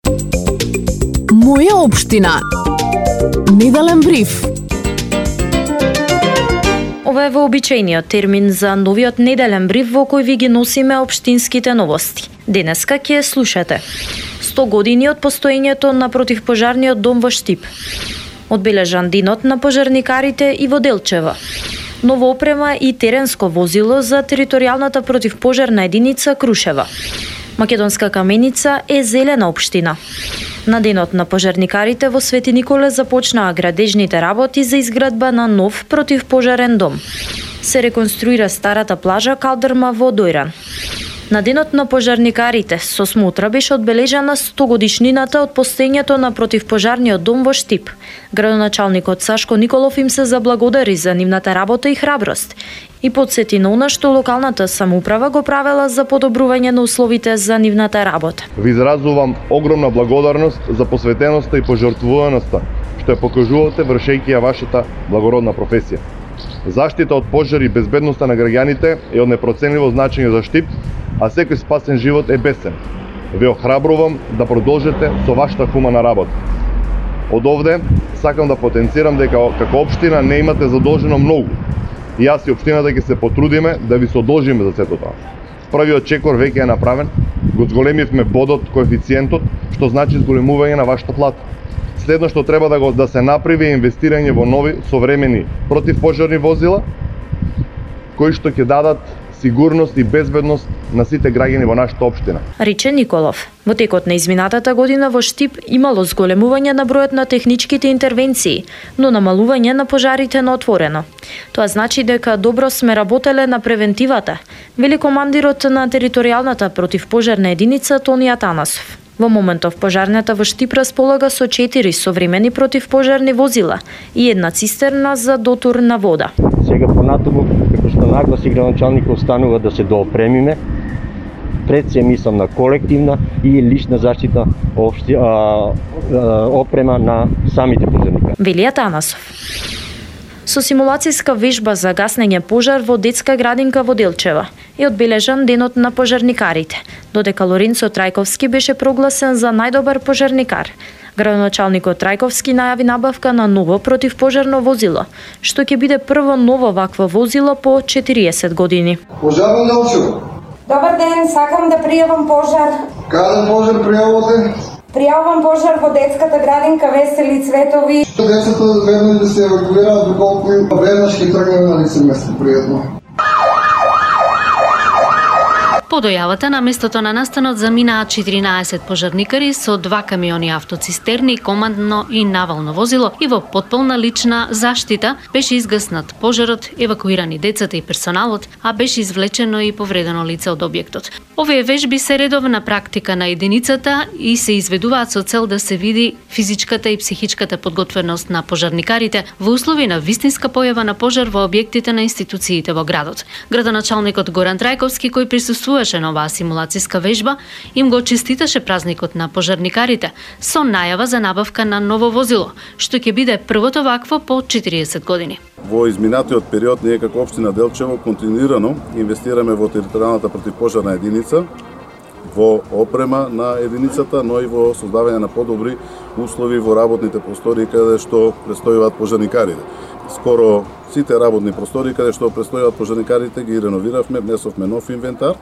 Моја општина. Неделен бриф. Ова е вообичајниот термин за новиот неделен бриф во кој ви ги носиме општинските новости. Денеска ќе слушате 100 години од постоењето на противпожарниот дом во Штип. Одбележан денот на пожарникарите и во Делчева. Нова опрема и теренско возило за територијалната противпожарна единица Крушева. Македонска каменица е зелена општина. На денот на пожарникарите во Свети Николе започнаа градежните работи за изградба на нов противпожарен дом. Се реконструира старата плажа Калдърма во Дојран. На денот на пожарникарите со смотра беше одбележана 100 годишнината од постоењето на противпожарниот дом во Штип. Градоначалникот Сашко Николов им се заблагодари за нивната работа и храброст и потсети на она што локалната самоуправа го правела за подобрување на условите за нивната работа. Ви изразувам огромна благодарност за посветеноста и пожртвуваноста што ја покажувате вршејќи ја вашата благородна професија. Заштита од пожари и безбедноста на граѓаните е од непроценливо значење за Штип, а секој спасен живот е бесцен. Ве охрабрувам да продолжите со вашата хумана работа. Од овде сакам да потенцирам дека како општина не имате задолжено многу. И јас и општината ќе се потрудиме да ви содолжиме за сето тоа. Првиот чекор веќе е направен, го зголемивме бодот, коефициентот, што значи зголемување на вашата плата. Следно што треба да се направи е инвестирање во нови современи противпожарни возила, кои што ќе дадат сигурност и безбедност на сите граѓани во нашата општина. Рече Николов. Во текот на изминатата година во Штип имало зголемување на бројот на техничките интервенции, но намалување на пожарите на отворено. Тоа значи дека добро сме работеле на превентивата, вели командирот на територијалната противпожарна единица Тони Атанасов. Во моментов пожарната во Штип располага со 4 современи противпожарни возила и една цистерна за дотур на вода. Сега понатаму, како што нагласи градоначалникот, останува да се доопремиме. Пред се мислам на колективна и лична заштита опрема на самите пожарникари. Вели Атанасов. Со симулацијска вежба за гаснење пожар во детска градинка во Делчева е одбележан денот на пожарникарите, додека Лоренцо Трајковски беше прогласен за најдобар пожарникар. Градоначалникот Трајковски најави набавка на ново противпожарно возило, што ќе биде прво ново вакво возило по 40 години. Пожарно Делчево. Добар ден, сакам да пријавам пожар. Каде пожар пријавувате? Пријавам пожар во детската градинка Весели Цветови. Децата веднаш да се евакуираат доколку веднаш ќе тргнеме на лице место. Пријатно. По дојавата на местото на настанот заминаа 14 пожарникари со 2 камиони автоцистерни, командно и навално возило и во потполна лична заштита беше изгаснат пожарот, евакуирани децата и персоналот, а беше извлечено и повредено лице од објектот. Овие вежби се редовна практика на единицата и се изведуваат со цел да се види физичката и психичката подготвеност на пожарникарите во услови на вистинска појава на пожар во објектите на институциите во градот. Градоначалникот Горан Трајковски, кој присуствуваше на оваа симулацијска вежба, им го честиташе празникот на пожарникарите со најава за набавка на ново возило, што ќе биде првото вакво по 40 години. Во изминатиот период ние како општина Делчево континуирано инвестираме во територијалната противпожарна единица, во опрема на единицата, но и во создавање на подобри услови во работните простори каде што престојуваат пожарникарите. Скоро сите работни простори каде што престојуваат пожарникарите ги реновиравме, внесовме нов инвентар,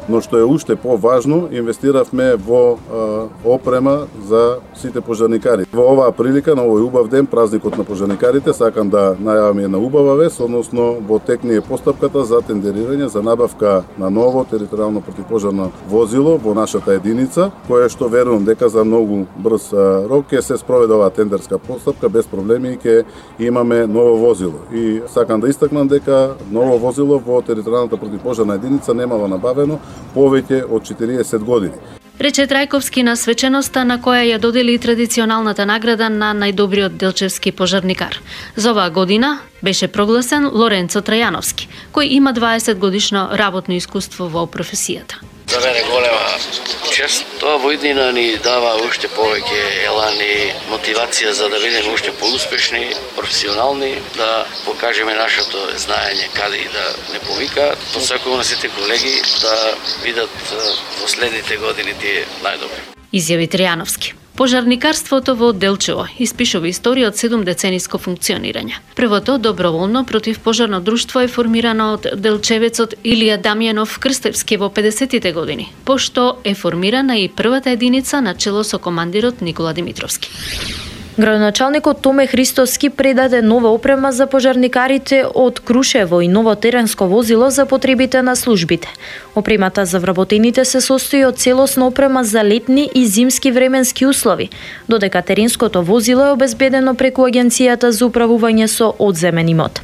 но што е уште поважно, инвестиравме во опрема за сите пожарникари. Во оваа прилика, на овој убав ден, празникот на пожарникарите, сакам да најавам една убава вест, односно во тек ни е постапката за тендерирање за набавка на ново територијално противпожарно возило во нашата единица, кое што верувам дека за многу брз рок ќе се спроведе оваа тендерска постапка без проблеми и ќе имаме ново возило. И сакам да истакнам дека ново возило во територијалната противпожарна единица немало набавено повеќе од 40 години. Рече Трајковски на свеченоста на која ја додели традиционалната награда на најдобриот делчевски пожарникар. За оваа година беше прогласен Лоренцо Трајановски, кој има 20 годишно работно искуство во професијата. За мене голема чест. Тоа во иднина ни дава уште повеќе елан и мотивација за да бидеме уште поуспешни, професионални, да покажеме нашето знаење каде и да не повика. Посакувам на сите колеги да видат во следните години тие најдобри. изјави Тријановски. Пожарникарството во Делчево испишува историја од 7-децениско функционирање. Првото доброволно противпожарно друштво е формирано од делчевецот Илија Дамјанов Крстевски во 50-тите години, пошто е формирана и првата единица на чело со командирот Никола Димитровски. Градоначалникот Томе Христоски предаде нова опрема за пожарникарите од Крушево и ново теренско возило за потребите на службите. Опремата за вработените се состои од целосна опрема за летни и зимски временски услови, додека теренското возило е обезбедено преку Агенцијата за управување со одземен имот.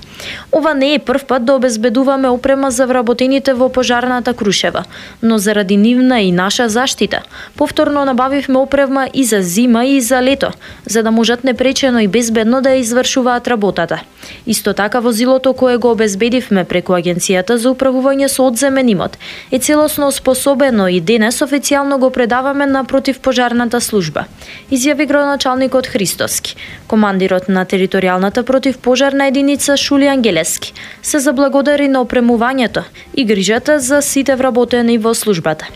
Ова не е прв пат да обезбедуваме опрема за вработените во пожарната Крушева, но заради нивна и наша заштита, повторно набавивме опрема и за зима и за лето, за да можат непречено и безбедно да ја извршуваат работата. Исто така возилото кое го обезбедивме преку Агенцијата за управување со одземен имот е целосно способено и денес официјално го предаваме на противпожарната служба, изјави градоначалникот Христоски. Командирот на територијалната противпожарна единица Шули Ангелески се заблагодари на опремувањето и грижата за сите вработени во службата.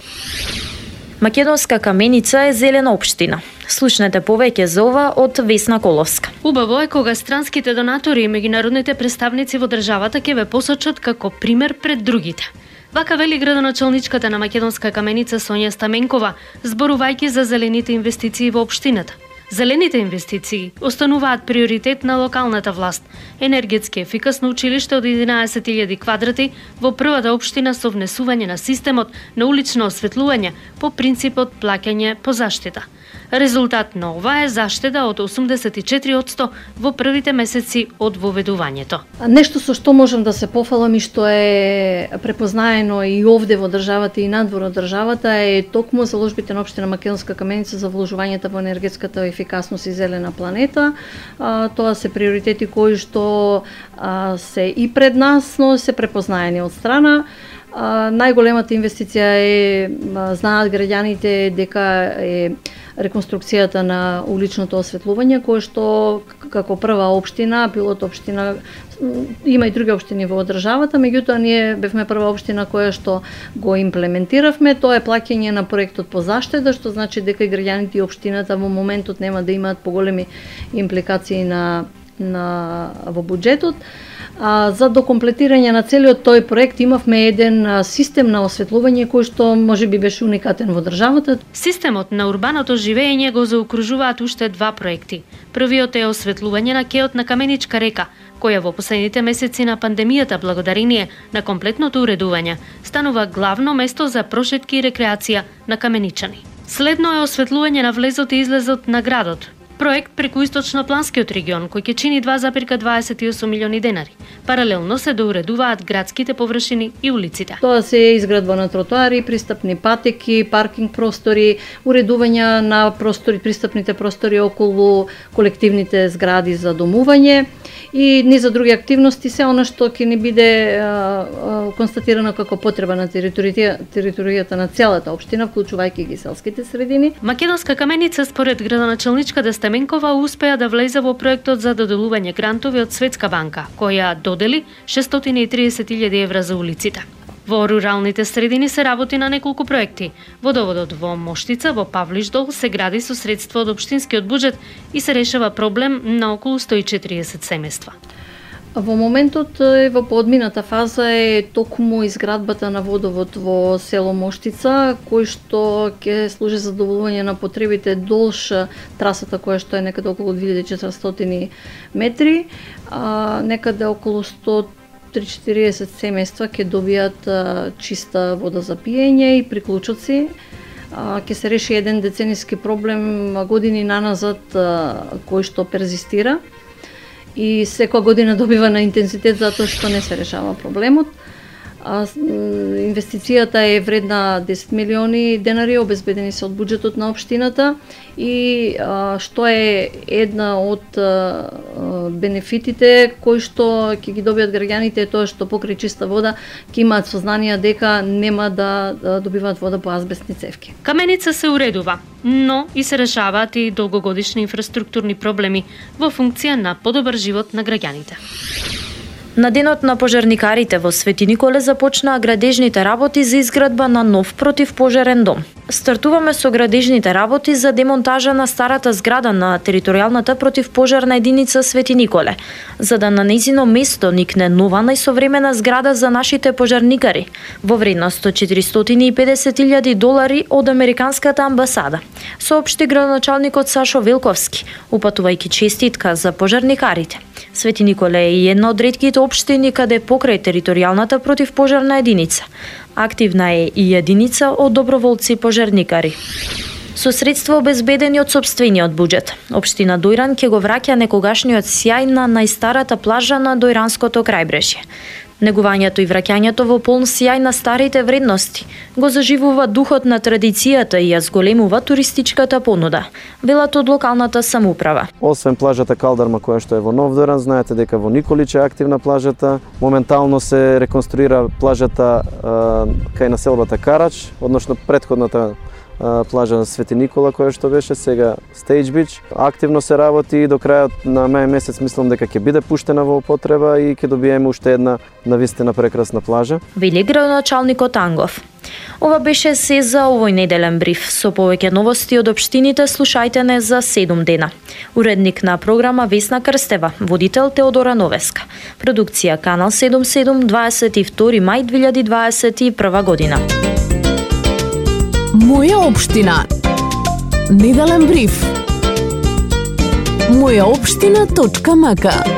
Македонска Каменица е зелена општина. Слушнете повеќе за ова од Весна Коловска. Убаво е кога странските донатори и меѓународните представници во државата ќе ве посочат како пример пред другите. Вака вели градоначалничката на Македонска Каменица Сонја Стаменкова, зборувајќи за зелените инвестиции во општината. Зелените инвестиции остануваат приоритет на локалната власт. Енергетски ефикасно училиште од 11.000 квадрати во првата општина со внесување на системот на улично осветлување по принципот плаќање по заштита. Резултат на ова е заштеда од 84% во првите месеци од воведувањето. Нешто со што можам да се пофалам и што е препознаено и овде во државата и надвор од државата е токму заложбите на општина Македонска Каменица за вложувањата во енергетската ефикасност и зелена планета. Тоа се приоритети кои што се и пред нас, но се препознаени од страна. Најголемата инвестиција е, знаат граѓаните, дека е реконструкцијата на уличното осветлување, кое што како прва општина, пилот општина, има и други општини во државата, меѓутоа ние бевме прва општина која што го имплементиравме. Тоа е плаќање на проектот по заштеда, што значи дека и граѓаните и општината во моментот нема да имаат поголеми импликации во буџетот. За докомплетирање на целиот тој проект имавме еден систем на осветлување кој што можеби беше уникатен во државата. Системот на урбаното живење го заокружуваат уште два проекти. Првиот е осветлување на кеот на Каменичка река, која во последните месеци на пандемијата благодарение на комплетното уредување станува главно место за прошетки и рекреација на каменичани. Следно е осветлување на влезот и излезот на градот. Проект преку источнопланскиот регион кој ќе чини 2,28 милиони денари. Паралелно се доуредуваат градските површини и улиците. Тоа се изградба на тротоари, пристапни патеки, паркинг простори, уредување на простори, пристапните простори околу колективните згради за домување и низ за други активности, се она што ќе ни биде констатирано како потреба на територијата на целата општина, вклучувајќи ги селските средини. Македонска Каменица според градоначалничката Стаменкова успеа да влезе во проектот за доделување грантови од Светска банка, која додели 630.000 евра за улиците. Во руралните средини се работи на неколку проекти. Водоводот во Моштица, во Павлишдол, се гради со средства од општинскиот буџет и се решава проблем на околу 140 семејства. Во моментот во подмината фаза е токму изградбата на водовод во село Моштица, кој што ќе служи за задоволување на потребите долж трасата која што е некаде околу 2400 метри, некаде околу 140 семејства ќе добијат чиста вода за пиење и приклучоци. Ќе се реши еден децениски проблем години наназад кој што перзистира и секоја година добива на интензитет затоа што не се решава проблемот. Инвестицијата е вредна 10 милиони денари, обезбедени се од буџетот на општината и што е една од бенефитите кои што ќе ги добијат граѓаните е тоа што покрај чиста вода ќе имаат сознание дека нема да добиваат вода по азбестни цевки. Каменица се уредува, но и се решаваат и долгогодишни инфраструктурни проблеми во функција на подобар живот на граѓаните. На денот на пожарникарите во Свети Николе започнаа градежните работи за изградба на нов противпожарен дом. Стартуваме со градежните работи за демонтажа на старата зграда на територијалната противпожарна единица Свети Николе, за да на нејзино место никне нова најсовремена зграда за нашите пожарникари во вредност од $450,000 од Американската амбасада, соопшти градоначалникот Сашо Велковски, упатувајќи честитка за пожарникарите. Свети Николе е една од ретките општини каде покрај територијалната противпожарна единица активна е и единица од доброволци пожарникари. Со средства обезбедени од сопствениот буџет, општина Дојран ќе го враќа некогашниот сјај на најстарата плажа на Дојранското крајбрежје. Негувањето и враќањето во полн сјај на старите вредности го заживува духот на традицијата и ја зголемува туристичката понуда, велат од локалната самоуправа. Освен плажата Калдарма која што е во Нов Дојран, знаете дека во Николич е активна плажата. Моментално се реконструира плажата кај населбата Карач, односно претходната плажа на Свети Никола која што беше сега Stage Beach. Активно се работи и до крајот на мај месец мислам дека ќе биде пуштена во употреба и ќе добиеме уште една навистина прекрасна плажа. Вели градоначалникот Ангов. Ова беше се за овој неделен бриф. Со повеќе новости од општините слушајте не за 7 дена. Уредник на програма Весна Крстева, водител Теодора Новеска. Продукција Канал 77, 22 мај 2021 година. Моја општина. Неделен бриф. Мојаопштина.мк